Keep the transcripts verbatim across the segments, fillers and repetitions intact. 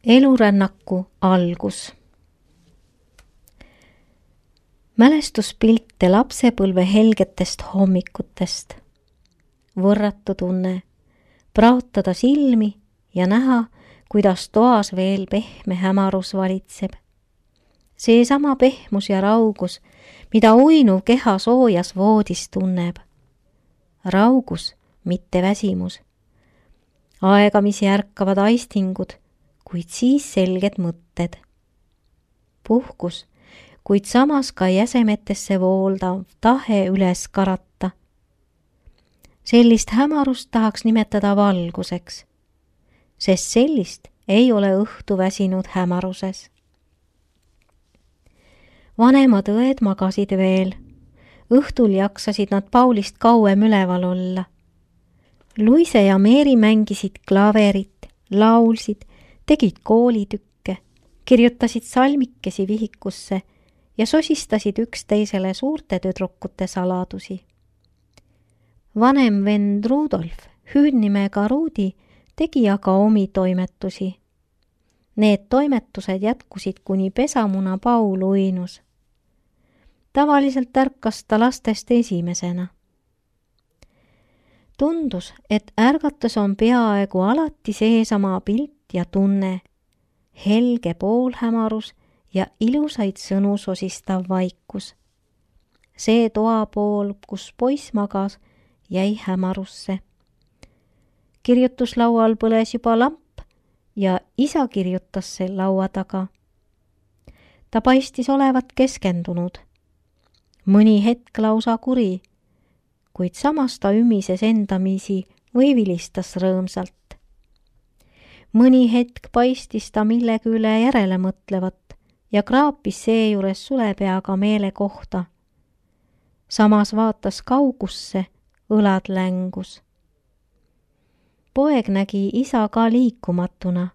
Elurännaku algus. Mälestuspilte lapsepõlve helgetest hommikutest. Võrratu tunne, praotada silmi ja näha, kuidas toas veel pehme hämarus valitseb. Seesama pehmus ja raugus, mida uinuv keha soojas voodis tunneb. Raugus, mitte väsimus. Aegamisi ärkavad aistingud, kuid siis selged mõtted. Puhkus, kuid samas ka jäsemetesse vooldav tahe üles karata. Sellist hämarust tahaks nimetada valguseks, sest sellist ei ole õhtu väsinud hämaruses. Vanemad õed magasid veel. Õhtul jaksasid nad Paulist kauem üleval olla. Luise ja Meeri mängisid klaverit, laulsid, tegid koolitükke, kirjutasid salmikesi vihikusse ja sosistasid üksteisele suurte tüdrukute saladusi. Vanem vend Rudolf, hüüdnimega Ruudi, tegi aga omi toimetusi. Need toimetused jätkusid kuni pesamuna Paul uinus. Tavaliselt ärkas ta lastest esimesena. Tundus, et ärgatus on peaaegu alati seesama pilt ja tunne, helge poolhämarus ja ilusaid sõnu sosistav vaikus. See toapool, kus poiss magas, jäi hämarusse. Kirjutuslaual põles juba lamp ja isa kirjutas see laua taga. Ta paistis olevat keskendunud. Mõni hetk lausa kuri, kuid samas ta ümises endamisi või vilistas rõõmsalt. Mõni hetk paistis ta millegi üle järele mõtlevat ja kraapis seejuures sulepeaga meele kohta. Samas vaatas kaugusse, õlad längus. Poeg nägi isa ka liikumatuna,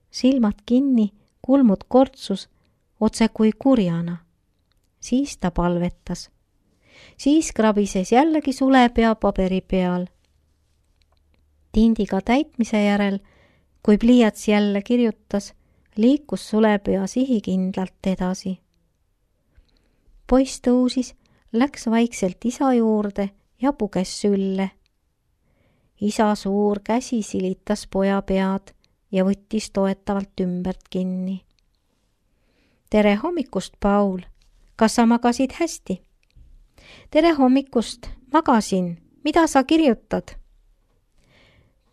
silmad kinni, kulmud kortsus, otse kui kurjana. Siis ta palvetas. Siis krabises jällegi sulepea paberi peal. Tindiga täitmise järel, kui pliiats jälle kirjutas, liikus sulepea sihikindlalt edasi. Poiss tõusis, läks vaikselt isa juurde ja puges sülle. Isa suur käsi silitas poja pead ja võttis toetavalt ümbert kinni. Tere hommikust, Paul! Kas sa magasid hästi? Tere hommikust, magasin. Mida sa kirjutad?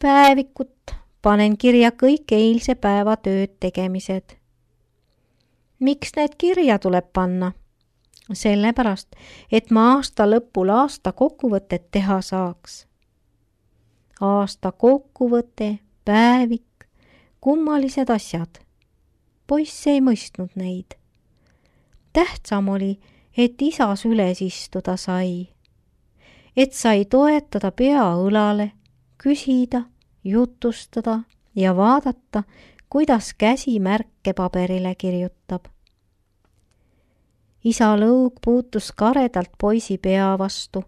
Päevikut, panen kirja kõik eilse päeva tööd tegemised. Miks need kirja tuleb panna? Sellepärast, et ma aasta lõpul aasta kokkuvõtet teha saaks. Aasta kokkuvõte, päevik, kummalised asjad. Poiss ei mõistnud neid. Tähtsam oli, et isa süles istuda sai. Et sai toetada pea õlale, küsida, jutustada ja vaadata, kuidas käsi märke paberile kirjutab. Isa lõug puutus karedalt poisi pea vastu,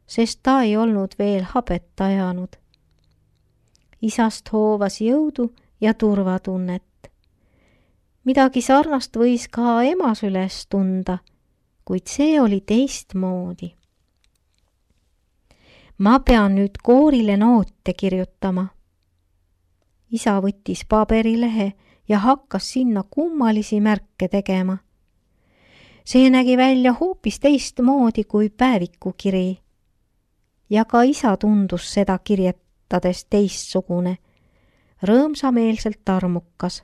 sest ta ei olnud veel habet ajanud. Isast hoovas jõudu ja turvatunnet. Midagi sarnast võis ka ema süles tunda, kuid see oli teistmoodi. Ma pean nüüd koorile noote kirjutama. Isa võttis paberilehe ja hakkas sinna kummalisi märke tegema. See nägi välja hoopis teistmoodi kui päevikukiri. Ja ka isa tundus seda kirjetades teistsugune, rõõmsameelselt armukas.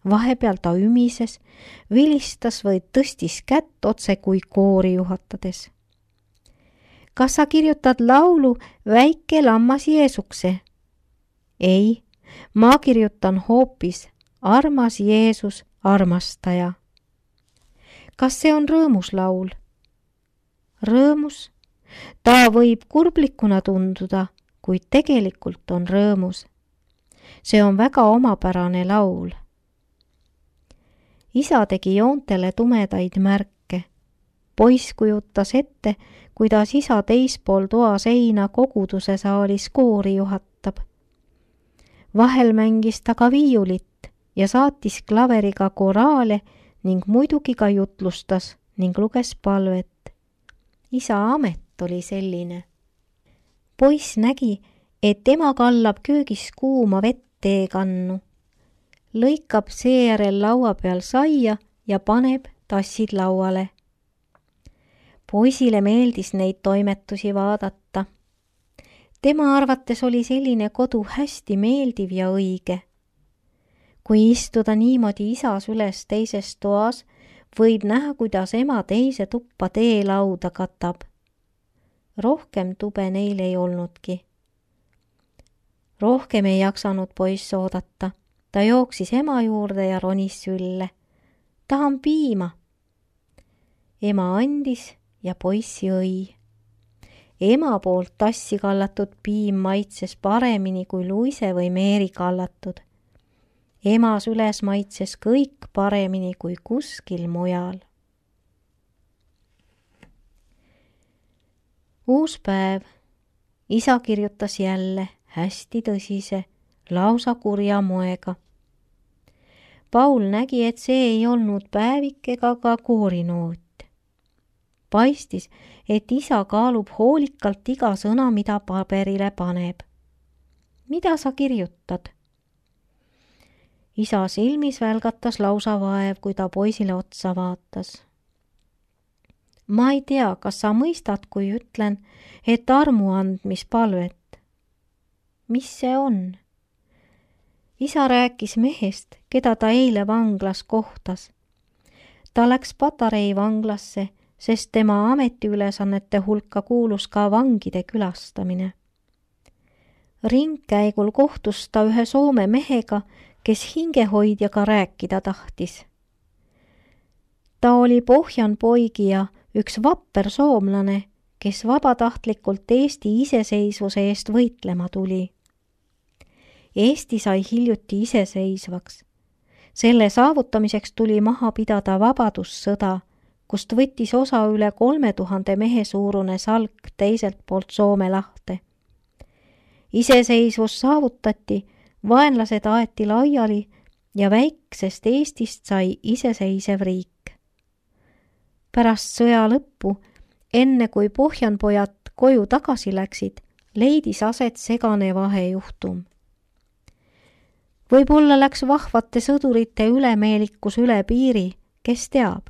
Vahepeal ta ümises, vilistas või tõstis kätt otse kui koori juhatades. Kas sa kirjutad laulu Väike lammas Jeesukse? Ei, ma kirjutan hoopis Armas Jeesus, armastaja. Kas see on rõõmus laul? Rõõmus? Ta võib kurblikuna tunduda, kuid tegelikult on rõõmus. See on väga omapärane laul. Isa tegi joontele tumedaid märke. Poiss kujutas ette, kuidas isa teispool toa seina koguduse saalis koori juhatab. Vahel mängis ta ka viiulit ja saatis klaveriga koraale ning muidugi ka jutlustas ning luges palvet. Isa amet oli selline. Poiss nägi, et ema kallab köögis kuuma vett teekannu, lõikab seejärel laua peal saia ja paneb tassid lauale. Poisile meeldis neid toimetusi vaadata. Tema arvates oli selline kodu hästi meeldiv ja õige. Kui istuda niimoodi isa süles teises toas, võib näha, kuidas ema teise tuppa teelauda katab. Rohkem tube neil ei olnudki. Rohkem ei jaksanud poiss oodata. Ta jooksis ema juurde ja ronis sülle. Tahan piima. Ema andis ja poiss jõi. Ema poolt tassi kallatud piim maitses paremini kui Luise või Meeri kallatud. Ema süles maitses kõik paremini kui kuskil mujal. Uus päev. Isa kirjutas jälle hästi tõsise, lausa kurja moega. Paul nägi, et see ei olnud päevik ega ka koorinoot. Paistis, et isa kaalub hoolikalt iga sõna, mida paberile paneb. Mida sa kirjutad? Isa silmis välgatas lausa vaev, kui ta poisile otsa vaatas. Ma ei tea, kas sa mõistad, kui ütlen, et armuandmispalvet. Mis see on? Isa rääkis mehest, keda ta eile vanglas kohtas. Ta läks Patarei vanglasse, sest tema ametiülesannete hulka kuulus ka vangide külastamine. Ringkäigul kohtus ta ühe Soome mehega, kes hingehoidjaga rääkida tahtis. Ta oli pohjan poigija, üks vapper soomlane, kes vabatahtlikult Eesti iseseisvuse eest võitlema tuli. Eesti sai hiljuti iseseisvaks. Selle saavutamiseks tuli maha pidada vabadussõda, kust võttis osa üle kolme tuhande mehe suurune salk teiselt poolt Soome lahte. Iseseisvus saavutati, vaenlased aeti laiali ja väiksest Eestist sai iseseisev riik. Pärast sõja lõppu, enne kui pohjanpojad koju tagasi läksid, leidis aset segane vahejuhtum. Võib-olla läks vahvate sõdurite ülemeelikus üle piiri, kes teab,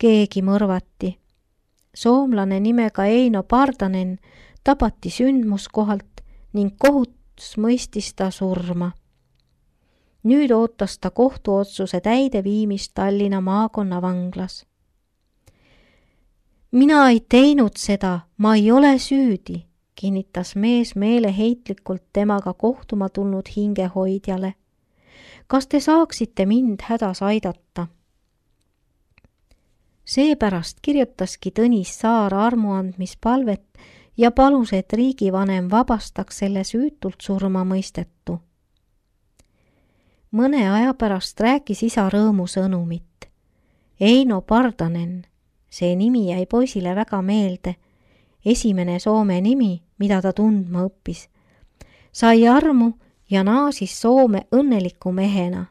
keegi mõrvati. Soomlane nimega Eino Pardanen tapati sündmuskohalt ning kohus mõistis ta surma. Nüüd ootas ta kohtuotsuse täideviimist Tallinna maakonna vanglas. Mina ei teinud seda, ma ei ole süüdi, kinnitas mees meeleheitlikult temaga kohtuma tulnud hingehoidjale. Kas te saaksite mind hädas aidata? Seepärast kirjutaski Tõnis Saar armuandmispalvet ja palus, et riigivanem vabastaks selle süütult surma mõistetu. Mõne aja pärast rääkis isa rõõmusõnumit. Eino Pardanen, see nimi jäi poisile väga meelde, esimene Soome nimi, mida ta tundma õppis, sai armu ja naasis Soome õnneliku mehena.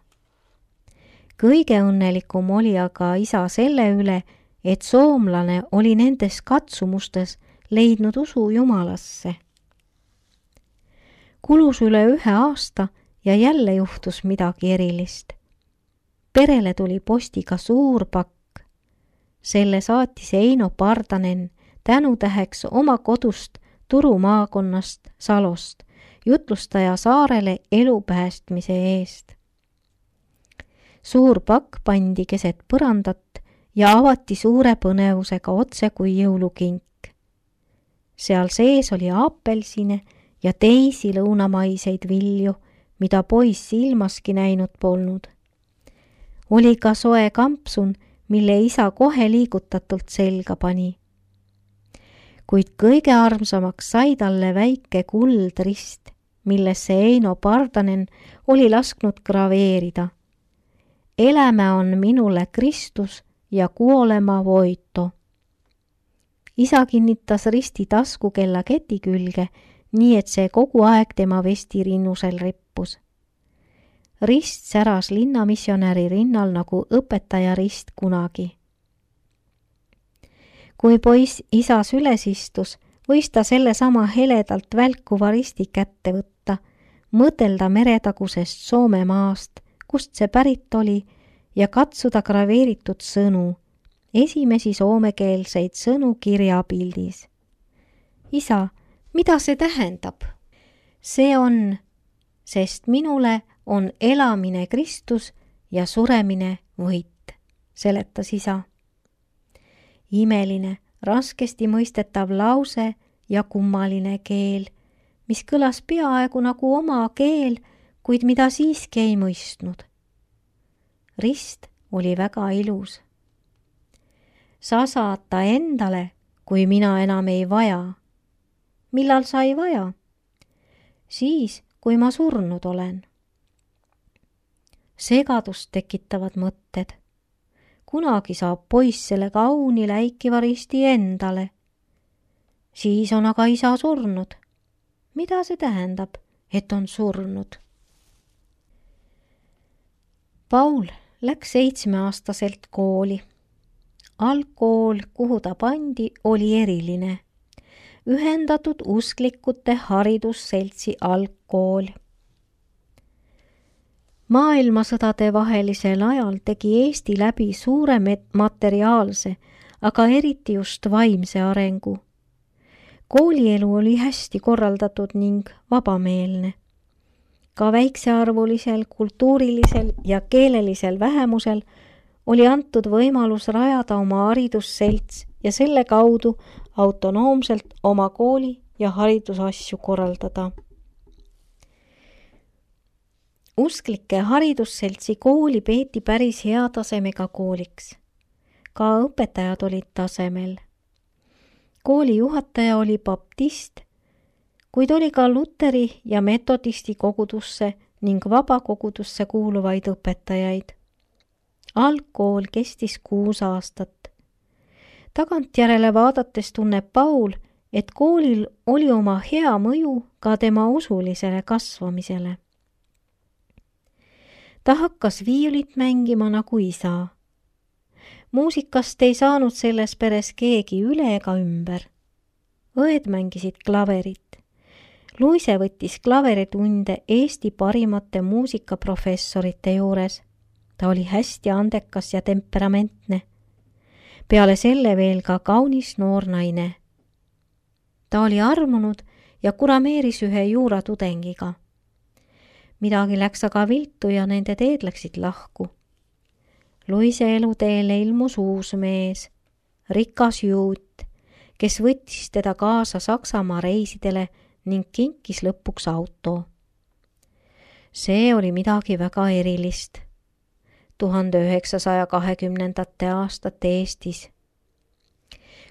Kõige õnnelikum oli aga isa selle üle, et soomlane oli nendes katsumustes leidnud usu Jumalasse. Kulus üle ühe aasta ja jälle juhtus midagi erilist. Perele tuli postiga suur pakk. Selle saatis Eino Pardanen tänutäheks oma kodust Turu maakonnast Salost, jutlustaja Saarele elu päästmise eest. Suur pakk pandi keset põrandat ja avati suure põnevusega otse kui jõulukink. Seal sees oli apelsine ja teisi lõunamaiseid vilju, mida poiss ilmaski näinud polnud. Oli ka soe kampsun, mille isa kohe liigutatult selga pani. Kuid kõige armsamaks sai talle väike kuldrist, millesse Eino Pardanen oli lasknud graveerida. Elämä on minule Kristus ja kuolema voito. Isa kinnitas risti taskukella keti külge, nii et see kogu aeg tema vestirinnusel rippus. Rist säras linnamisjonäri rinnal nagu õpetaja rist kunagi. Kui poiss isa süles istus, võis ta selle sama heledalt välkuva risti kätte võtta, mõtelda meretagusest Soome maast, kust see pärit oli, ja katsuda graveeritud sõnu, esimesi soomekeelseid sõnu kirjapildis. Isa, mida see tähendab? See on, sest minule on elamine Kristus ja suremine võit, seletas isa. Imeline, raskesti mõistetav lause ja kummaline keel, mis kõlas peaaegu nagu oma keel, kuid mida siiski ei mõistnud. Rist oli väga ilus. Sa saad ta endale, kui mina enam ei vaja. Millal sa ei vaja? Siis, kui ma surnud olen. Segadust tekitavad mõtted. Kunagi saab poiss selle kauni läikiva risti endale. Siis on aga isa surnud. Mida see tähendab, et on surnud? Paul läks seitsmeaastaselt kooli. Algkool, kuhu ta pandi, oli eriline. Ühendatud usklikute haridusseltsi algkool. Maailmasõdade vahelisel ajal tegi Eesti läbi suure materiaalse, aga eriti just vaimse arengu. Koolielu oli hästi korraldatud ning vabameelne. Ka väiksearvulisel, kultuurilisel ja keelelisel vähemusel oli antud võimalus rajada oma haridusselts ja selle kaudu autonoomselt oma kooli ja haridusasju korraldada. Usklike haridusseltsi kooli peeti päris hea tasemega kooliks. Ka õpetajad olid tasemel. Kooli juhataja oli baptist, kuid oli ka luteri ja metodisti kogudusse ning vabakogudusse kuuluvaid õpetajaid. Algkool kestis kuus aastat. Tagantjärele vaadates tunneb Paul, et koolil oli oma hea mõju ka tema usulisele kasvamisele. Ta hakkas viiulit mängima nagu isa. Muusikast ei saanud selles peres keegi üle ega ümber. Õed mängisid klaverit. Luise võttis klaveritunde Eesti parimate muusikaprofessorite juures. Ta oli hästi andekas ja temperamentne. Peale selle veel ka kaunis noor naine. Ta oli armunud ja kurameeris ühe juuratudengiga. Midagi läks aga viltu ja nende teed läksid lahku. Luise eluteele ilmus uus mees, rikas juut, kes võttis teda kaasa Saksamaa reisidele ning kinkis lõpuks auto. See oli midagi väga erilist. tuhande üheksasaja kahekümnendate aastate Eestis.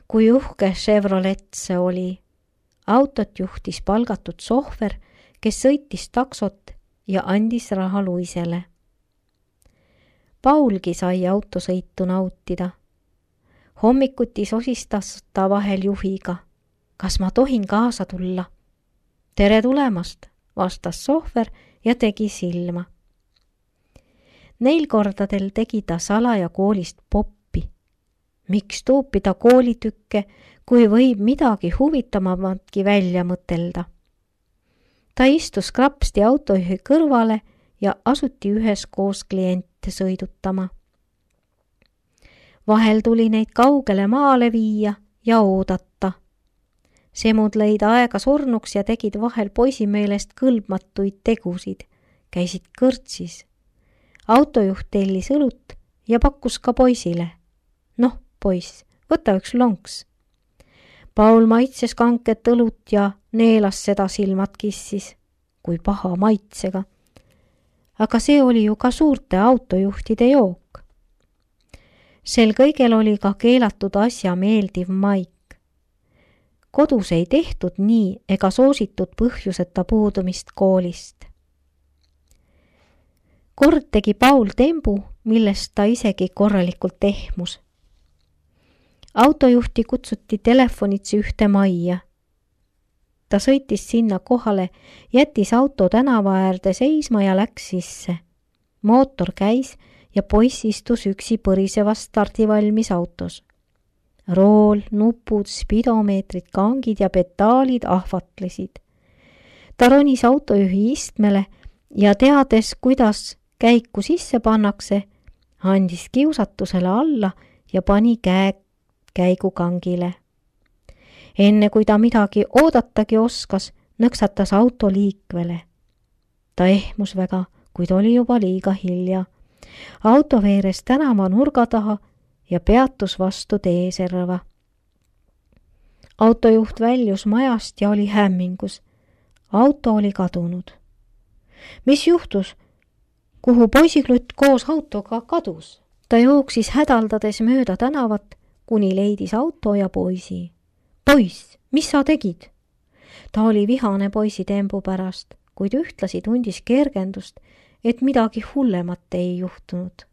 Kui uhke Chevrolet see oli, autot juhtis palgatud sohver, kes sõitis taksot ja andis raha Luisele. Paulgi sai autosõitu nautida. Hommikuti sosistas ta vahel juhiga. Kas ma tohin kaasa tulla? Tere tulemast, vastas sohver ja tegi silma. Neil kordadel tegi ta salaja koolist poppi. Miks tuupida koolitükke, kui võib midagi huvitamamatki välja mõtelda? Ta istus krapsti autojuhi kõrvale ja asuti üheskoos kliente sõidutama. Vahel tuli neid kaugele maale viia ja oodata. Semud lõid aega surnuks ja tegid vahel poisi meelest kõlbmatuid tegusid, käisid kõrtsis. Autojuht tellis õlut ja pakkus ka poisile. Noh, poiss, võta üks lonks. Paul maitses kanket õlut ja neelas seda silmad kissis, kui paha maitsega. Aga see oli ju ka suurte autojuhtide jook. Sel kõigel oli ka keelatud asja meeldiv maik. Kodus ei tehtud nii ega soositud põhjuseta puudumist koolist. Kord tegi Paul tembu, millest ta isegi korralikult ehmus. Autojuhti kutsuti telefonitsi ühte majja. Ta sõitis sinna kohale, jättis auto tänava äärde seisma ja läks sisse. mootor käis ja poiss istus üksi põrisevas stardivalmis autos. Rool, nupud, spidomeetrid, kangid ja pedaalid ahvatlesid. Ta ronis autojuhi istmele ja teades, kuidas käiku sisse pannakse, andis kiusatusele alla ja pani käe käigukangile. Enne kui ta midagi oodatagi oskas, nõksatas auto liikvele. Ta ehmus väga, kuid oli juba liiga hilja. Auto veeres tänava nurga taha ja peatus vastu teeserva. Autojuht väljus majast ja oli hämmingus. Auto oli kadunud. Mis juhtus? Kuhu poisiklutt koos autoga kadus? Ta jooksis hädaldades mööda tänavat, kuni leidis auto ja poisi. Poiss, mis sa tegid? Ta oli vihane poisi tembu pärast, kuid ühtlasi tundis kergendust, et midagi hullemat ei juhtunud.